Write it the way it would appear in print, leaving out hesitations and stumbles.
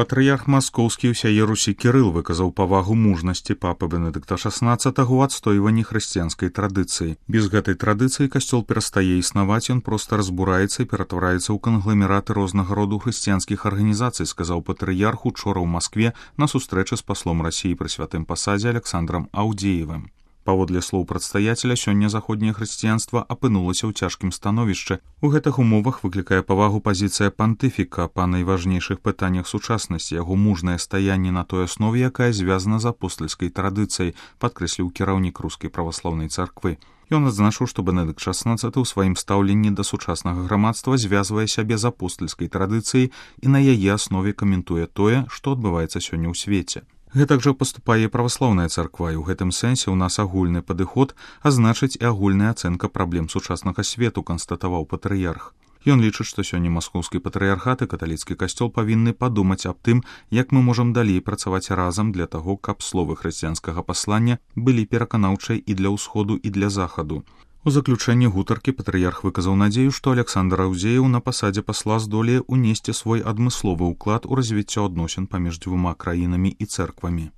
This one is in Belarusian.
Патрыярх маскоўскі ўсяе Русі Кірыл выказаў павагу мужнасці папы Бенедыкта XVI ў адстойванні хрысціянскай традыцыі. Без гэтай традыцыі касцёл перастае існаваць, ён проста разбураецца і ператвараецца ў кангламераты рознага роду хрысціянскіх арганізацый, сказаў патрыярх учора ў Маскве на сустрэчы з паслом Расіі пры святым пасадзе Александрам Аўдзеевым. Паводле слоў прадстаяцеля, сёння заходняе хрысціянства апынулася ў цяжкім становішчы. У гэтых умовах выклікае павагу пазіцыя пантыфіка па найважнейшых пытаннях сучаснасці, яго мужнае стаянне на той аснове, якая звязана з апостальскай традыцыяй, падкрэсліў кіраўнік рускай праваслаўнай царквы. Ён адзначыў, што Бенедыкт XVI ў сваім стаўленні да сучаснага грамадства звязвае сябе з апостальскай традыцыяй і на яе аснове каментуе тое, што адбываецца сёння ў свеце. Гэтак жа паступае праваслаўная царква, і ў гэтым сэнсе ў нас агульны падыход, а значыць і агульная ацэнка праблем сучаснага свету, канстатаваў патрыярх. Ён лічыць, што сёння маскоўскі патрыярхат і каталіцкі касцёл павінны падумаць аб тым, як мы можам далей працаваць разам для таго, каб словы хрысціянскага паслання былі пераканаўчай і для ўсходу, і для захаду. У заключэнні гутаркі патрыярх выказаў надзею, што Александр Аўдзееў на пасадзе пасла здолее ўнесці свой адмысловы ўклад у развіццё адносін паміж дзвюма краінамі і цэрквамі.